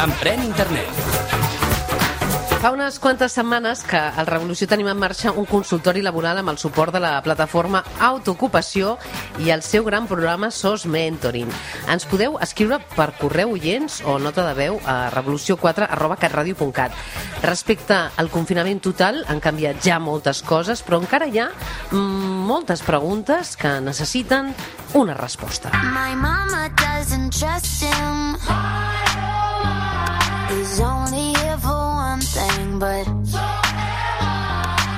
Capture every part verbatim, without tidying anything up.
Emprèn Internet. Fa unes quantes setmanes que al Revolució tenim en marxa un consultori laboral amb el suport de la plataforma Autoocupació i el seu gran programa S O S Mentoring. Ens podeu escriure per correu oients o nota de veu a revolució quatre arroba catradio punt cat. Respecte al confinament total han canviat ja moltes coses, però encara hi ha mm, moltes preguntes que necessiten una resposta. My mama doesn't trust him. He's only here for one thing, but...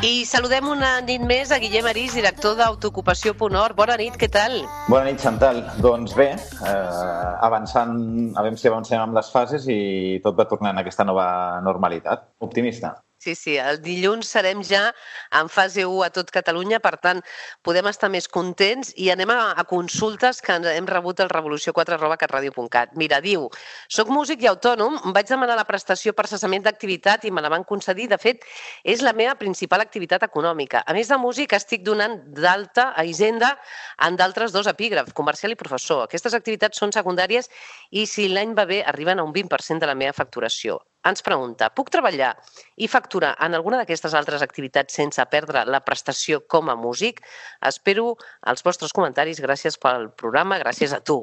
I saludem una nit més a Guillem Arís, director d'Autoocupació punt org. Bona nit, què tal? Bona nit, Chantal. Doncs bé, eh, avançant, a veure si avancem amb les fases i tot va tornant a aquesta nova normalitat. Optimista. Sí, sí, el dilluns serem ja en fase u a tot Catalunya, per tant, podem estar més contents i anem a, a consultes que hem rebut al revolució quatre arroba catradio punt cat. Mira, diu, soc músic i autònom, vaig demanar la prestació per cessament d'activitat i me la van concedir. De fet, és la meva principal activitat econòmica. A més de músic, estic donant d'alta a Hisenda en d'altres dos epígrafs, comercial i professor. Aquestes activitats són secundàries i si l'any va bé arriben a un vint per cent de la meva facturació. Ens pregunta, puc treballar i facturar en alguna d'aquestes altres activitats sense perdre la prestació com a músic? Espero els vostres comentaris. Gràcies pel programa, gràcies a tu.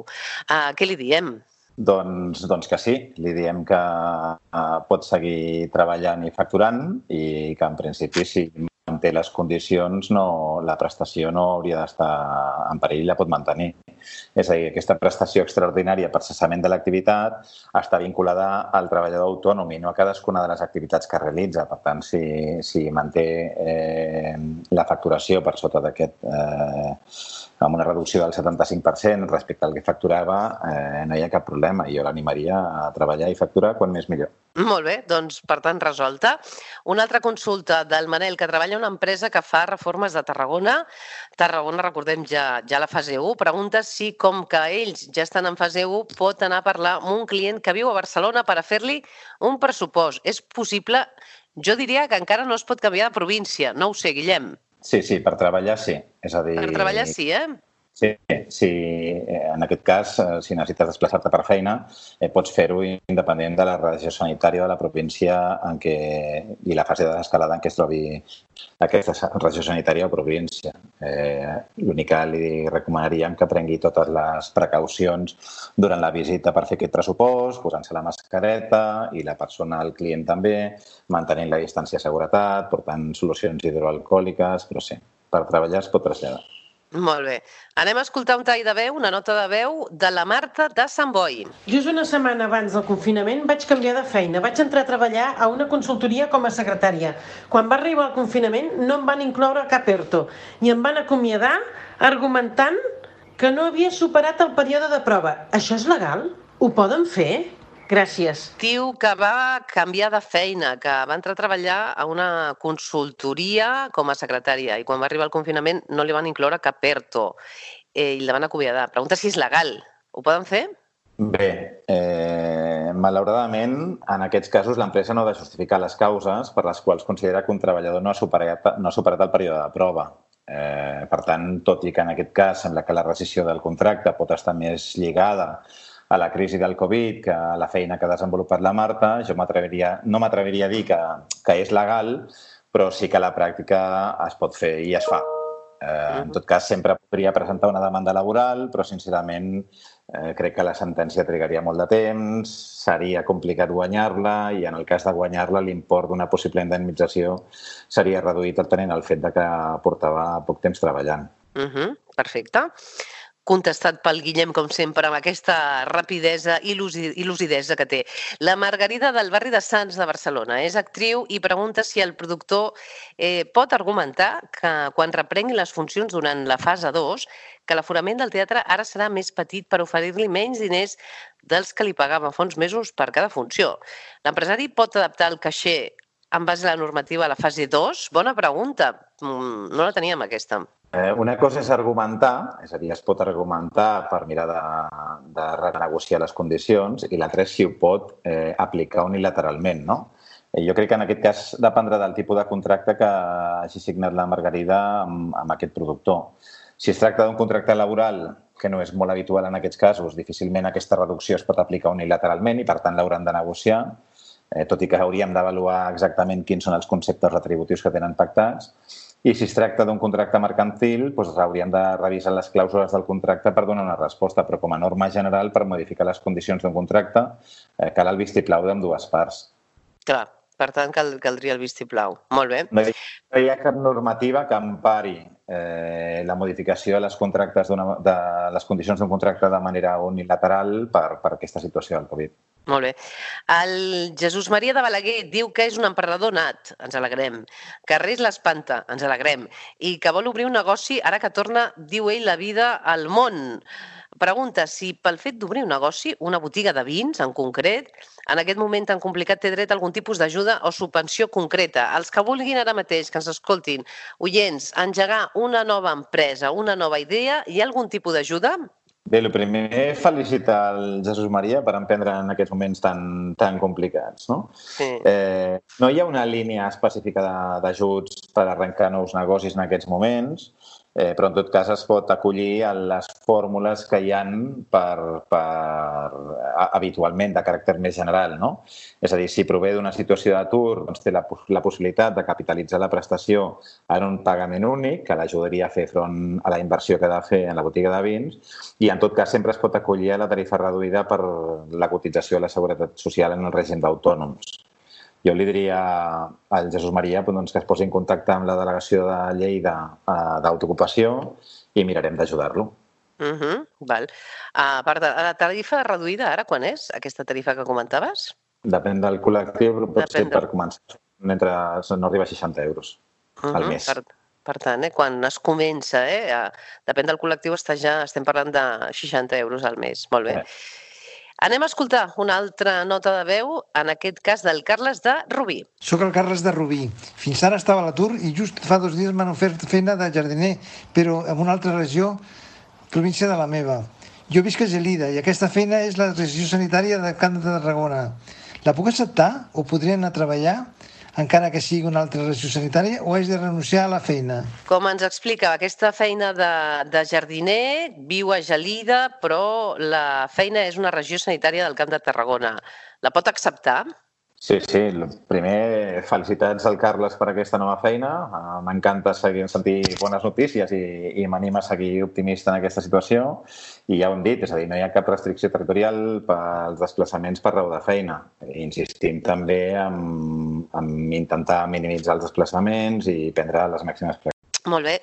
Uh, què li diem? Doncs, doncs que sí, li diem que uh, pot seguir treballant i facturant i que en principi si manté les condicions no, la prestació no hauria d'estar en perill, la pot mantenir. És a dir, aquesta prestació extraordinària per cessament de l'activitat està vinculada al treballador autònom i no a cadascuna de les activitats que realitza. Per tant, si, si manté eh, la facturació per sota d'aquest, eh, amb una reducció del setanta-cinc per cent respecte al que facturava, eh, no hi ha cap problema. Jo l'animaria a treballar i facturar quan més millor. Molt bé, doncs per tant resolta. Una altra consulta del Manel, que treballa a una empresa que fa reformes de Tarragona. Tarragona, recordem, ja, ja la fase u. Pregunta si, com que ells ja estan en fase u, pot anar a parlar amb un client que viu a Barcelona per a fer-li un pressupost. És possible? Jo diria que encara no es pot canviar de província. No ho sé, Guillem. Sí, sí, per treballar sí. És a dir... Per treballar sí, eh? Sí, sí, en aquest cas, si necessites desplaçar-te per feina, eh, pots fer-ho independent de la regió sanitària de la província en què, i la fase de l'escalada en què es trobi aquesta regió sanitària o província. Eh, L'únic que li recomanaríem que prengui totes les precaucions durant la visita per fer aquest pressupost, posant-se la mascareta i la persona, el client també, mantenint la distància de seguretat, portant solucions hidroalcohòliques, però sí, per treballar es pot traslladar. Molt bé. Anem a escoltar un tall de veu, una nota de veu de la Marta de Sant Boi. Just una setmana abans del confinament vaig canviar de feina. Vaig entrar a treballar a una consultoria com a secretària. Quan va arribar el confinament no em van incloure cap ERTO i em van acomiadar argumentant que no havia superat el període de prova. Això és legal? Ho poden fer? Gràcies. Diu que va canviar de feina, que va entrar a treballar a una consultoria com a secretària i quan va arribar el confinament no li van incloure cap ERTO eh, i la van acomiadar. Pregunta si és legal. Ho poden fer? Bé, eh, malauradament, en aquests casos l'empresa no ha de justificar les causes per les quals considera que un treballador no ha superat, no ha superat el període de prova. Eh, per tant, tot i que en aquest cas sembla que la rescissió del contracte pot estar més lligada a la crisi del Covid que a la feina que ha desenvolupat la Marta, jo m'atreviria, no m'atreviria a dir que, que és legal, però sí que a la pràctica es pot fer i es fa. Eh, en tot cas, sempre podria presentar una demanda laboral, però sincerament eh, crec que la sentència trigaria molt de temps, seria complicat guanyar-la i en el cas de guanyar-la l'import d'una possible indemnització seria reduït atenent al fet de que portava poc temps treballant. Uh-huh. Perfecte. Contestat pel Guillem, com sempre, amb aquesta rapidesa i lucidesa que té. La Margarida del barri de Sants de Barcelona és actriu i pregunta si el productor eh, pot argumentar que quan reprengui les funcions durant la fase dos, que l'aforament del teatre ara serà més petit per oferir-li menys diners dels que li pagava fa uns mesos per cada funció. L'empresari pot adaptar el caixer en base a la normativa a la fase dos? Bona pregunta. No la teníem, aquesta. Eh, una cosa és argumentar, és a dir, es pot argumentar per mirar de, de renegociar les condicions i l'altra és si ho pot eh, aplicar unilateralment, no? Eh, jo crec que en aquest cas dependrà del tipus de contracte que hagi signat la Margarida amb, amb aquest productor. Si es tracta d'un contracte laboral que no és molt habitual en aquests casos, difícilment aquesta reducció es pot aplicar unilateralment i, per tant, l'hauran de negociar, eh, tot i que hauríem d'avaluar exactament quins són els conceptes retributius que tenen pactats. I si es tracta d'un contracte mercantil, doncs hauríem de revisar les clàusules del contracte per donar una resposta, però com a norma general, per modificar les condicions d'un contracte, eh, cal el vistiplau d'ambdues parts. Clar, per tant, cal, caldria el vistiplau. Molt bé. No hi, no hi ha cap normativa que empari eh, la modificació de les, contractes de les condicions d'un contracte de manera unilateral per, per aquesta situació del Covid. Molt bé. El Jesús Maria de Balaguer diu que és un emprenedor nat, ens alegrem, que res l'espanta, ens alegrem, i que vol obrir un negoci ara que torna, diu ell, la vida al món. Pregunta si pel fet d'obrir un negoci, una botiga de vins en concret, en aquest moment tan complicat té dret a algun tipus d'ajuda o subvenció concreta. Els que vulguin ara mateix, que ens escoltin, oients, engegar una nova empresa, una nova idea, hi ha algun tipus d'ajuda? Bé, el primer, felicitar el Jesús Maria per emprendre en aquests moments tan, tan complicats. No? Sí. Eh, no hi ha una línia específica d'ajuts per arrencar nous negocis en aquests moments, eh, però en tot cas es pot acollir a les fórmules que hi ha per, per, habitualment de caràcter més general. No? És a dir, si prové d'una situació d'atur, doncs té la, la possibilitat de capitalitzar la prestació en un pagament únic, que l'ajudaria a fer front a la inversió que ha de fer en la botiga de vins, i en tot cas sempre es pot acollir a la tarifa reduïda per la cotització a la Seguretat Social en el règim d'autònoms. Jo li diria al Jesús Maria doncs, que es posi en contacte amb la delegació de Lleida d'autoocupació i mirarem d'ajudar-lo. Uh -huh, val. Uh, per la tarifa reduïda, ara, quan és aquesta tarifa que comentaves? Depèn del col·lectiu, però pot Depèn ser per començar. Entre, no arriba a seixanta euros uh -huh, al mes. Per, per tant, eh, quan es comença, eh, a, depèn del col·lectiu, està ja, estem parlant de seixanta euros al mes. Molt bé. Eh. Anem a escoltar una altra nota de veu, en aquest cas del Carles de Rubí. Soc el Carles de Rubí. Fins ara estava a l'atur i just fa dos dies m'han ofert feina de jardiner, però en una altra regió, província de la meva. Jo visc a Gelida i aquesta feina és la regió sanitària de Camp de Tarragona. La puc acceptar o podria anar a treballar encara que sigui una altra regió sanitària, o haig de renunciar a la feina? Com ens explica, aquesta feina de, de jardiner viu a Gelida, però la feina és una regió sanitària del Camp de Tarragona. La pot acceptar? Sí, sí. Primer, felicitats al Carles per aquesta nova feina. M'encanta seguir sentir bones notícies i, i m'anima a seguir optimista en aquesta situació. I ja ho hem dit, és a dir, no hi ha cap restricció territorial pels desplaçaments per raó de feina. Insistim també en, en intentar minimitzar els desplaçaments i prendre les màximes precaucions. Molt bé.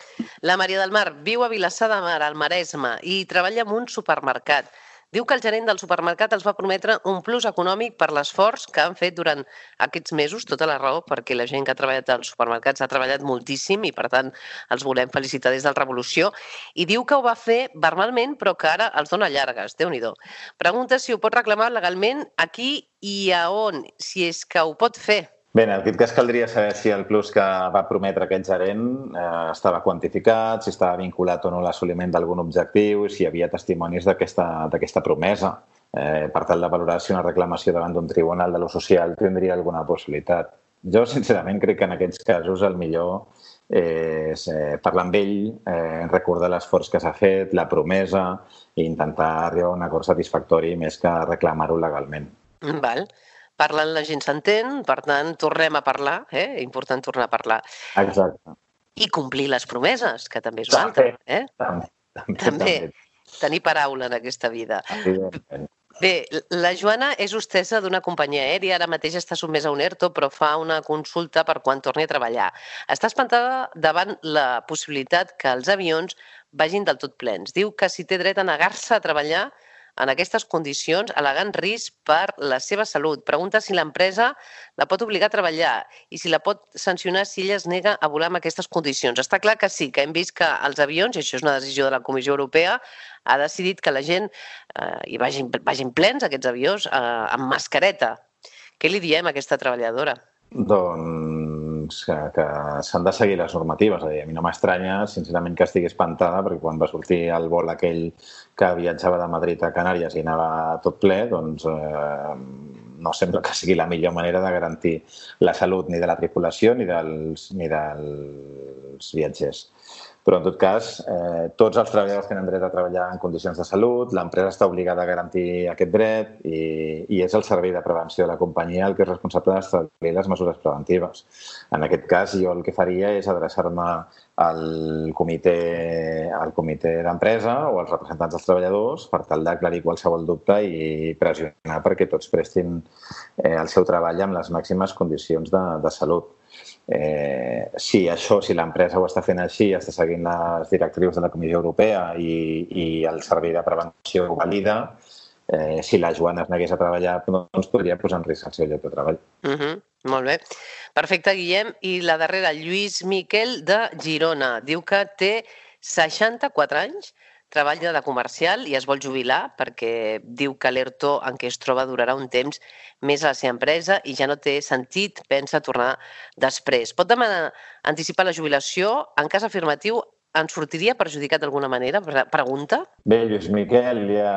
La Maria del Mar viu a Vilassar de Mar, al Maresme, i treballa en un supermercat. Diu que el gerent del supermercat els va prometre un plus econòmic per l'esforç que han fet durant aquests mesos, tota la raó, perquè la gent que ha treballat als supermercats ha treballat moltíssim i, per tant, els volem felicitar des del Revolució. I diu que ho va fer verbalment, però que ara els dona llargues. Déu-n'hi-do. Pregunta si ho pot reclamar legalment aquí i a on, si és que ho pot fer. Bé, en aquest cas caldria saber si el plus que va prometre aquest gerent eh, estava quantificat, si estava vinculat o no a l'assoliment d'algun objectiu, si hi havia testimonis d'aquesta promesa. Eh, per tal de valorar si una reclamació davant d'un tribunal de lo social tindria alguna possibilitat. Jo, sincerament, crec que en aquests casos el millor és eh, parlar amb ell, eh, recordar l'esforç que s'ha fet, la promesa, i intentar arribar a un acord satisfactori més que reclamar-ho legalment. Val. Parlant la gent s'entén, per tant, tornem a parlar, eh? Important tornar a parlar. Exacte. I complir les promeses, que també és una altra. Eh? També, també, també. també. Tenir paraula en aquesta vida. Evidentment. Bé, la Joana és hostessa d'una companyia aèria, ara mateix està sotmesa a un ERTO, però fa una consulta per quan torni a treballar. Està espantada davant la possibilitat que els avions vagin del tot plens. Diu que si té dret a negar-se a treballar en aquestes condicions, al·legant risc per la seva salut. Pregunta si l'empresa la pot obligar a treballar i si la pot sancionar si ella es nega a volar en aquestes condicions. Està clar que sí, que hem vist que els avions, i això és una decisió de la Comissió Europea, ha decidit que la gent eh, hi vagin, vagin plens, aquests avions, eh, amb mascareta. Què li diem a aquesta treballadora? Doncs que, que s'han de seguir les normatives. A, dir, a mi no m'estranya, sincerament, que estigui espantada, perquè quan va sortir el vol aquell que viatjava de Madrid a Canàries i anava tot ple, doncs eh, no sembla que sigui la millor manera de garantir la salut ni de la tripulació ni dels, ni dels viatgers. Però, en tot cas, eh, tots els treballadors tenen dret a treballar en condicions de salut, l'empresa està obligada a garantir aquest dret i, i és el servei de prevenció de la companyia el que és responsable d'establir les mesures preventives. En aquest cas, jo el que faria és adreçar-me al comitè, al comitè d'empresa o als representants dels treballadors per tal d'aclarir qualsevol dubte i pressionar perquè tots prestin eh, el seu treball amb les màximes condicions de, de salut. Eh, si això, si l'empresa ho està fent així, està seguint les directrius de la Comissió Europea i, i el servei de prevenció ho valida, eh, si la Joana es negués a treballar, doncs podria posar en risc el seu lloc de treball. Uh-huh. Molt bé. Perfecte, Guillem. I la darrera, Lluís Miquel, de Girona. Diu que té seixanta-quatre anys, treballa de comercial i es vol jubilar perquè diu que l'ERTO en què es troba durarà un temps més a la seva empresa i ja no té sentit, pensa tornar després. Pot demanar anticipar la jubilació? En cas afirmatiu, en sortiria perjudicat d'alguna manera? Pregunta. Bé, Lluís Miquel, ja,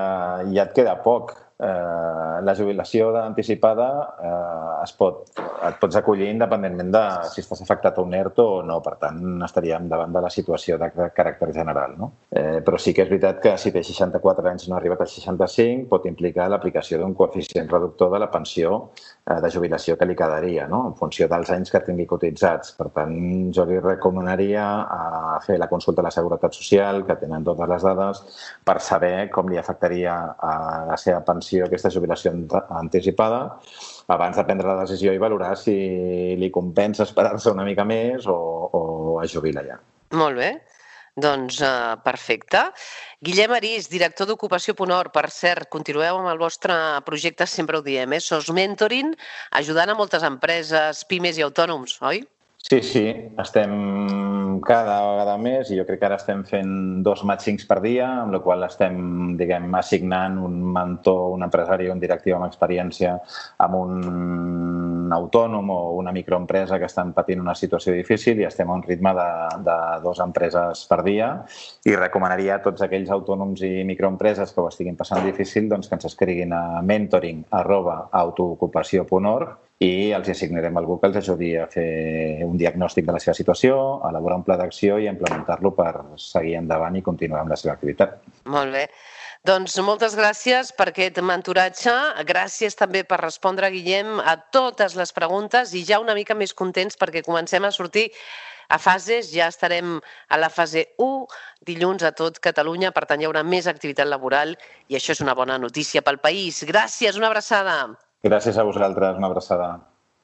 ja et queda poc. Eh, la jubilació anticipada eh, es pot, et pots acollir independentment de si estàs afectat a un ERTO o no. Per tant, estaríem davant de la situació de caràcter general, no? Eh, però sí que és veritat que si té seixanta-quatre anys i no ha arribat als seixanta-cinc, pot implicar l'aplicació d'un coeficient reductor de la pensió eh, de jubilació que li quedaria, no? En funció dels anys que tingui cotitzats. Per tant, jo li recomanaria a fer la consulta a la Seguretat Social, que tenen totes les dades, per saber com li afectaria a la seva pensió aquesta jubilació anticipada abans de prendre la decisió i valorar si li compensa esperar-se una mica més o, o es jubila ja. Molt bé. Doncs uh, perfecte. Guillem Arís, director d'Ocupació punt org. Per cert, continueu amb el vostre projecte, sempre ho diem, eh? Sos Mentoring, ajudant a moltes empreses, pimes i autònoms, oi? Sí, sí, estem cada vegada més i jo crec que ara estem fent dos màtchings per dia, amb la qual estem, diguem, assignant un mentor, un empresari o un directiu amb experiència amb un autònom o una microempresa que estan patint una situació difícil i estem a un ritme de, de dues empreses per dia i recomanaria a tots aquells autònoms i microempreses que ho estiguin passant difícil doncs que ens escriguin a mentoring arroba autoocupació punt org i els assignarem algú que els ajudi a fer un diagnòstic de la seva situació, a elaborar un pla d'acció i a implementar-lo per seguir endavant i continuar amb la seva activitat. Molt bé. Doncs moltes gràcies per aquest mentoratge. Gràcies també per respondre, Guillem, a totes les preguntes i ja una mica més contents perquè comencem a sortir a fases. Ja estarem a la fase u, dilluns a tot Catalunya, per tant hi haurà més activitat laboral i això és una bona notícia pel país. Gràcies, una abraçada. Gràcies a vosaltres, una abraçada.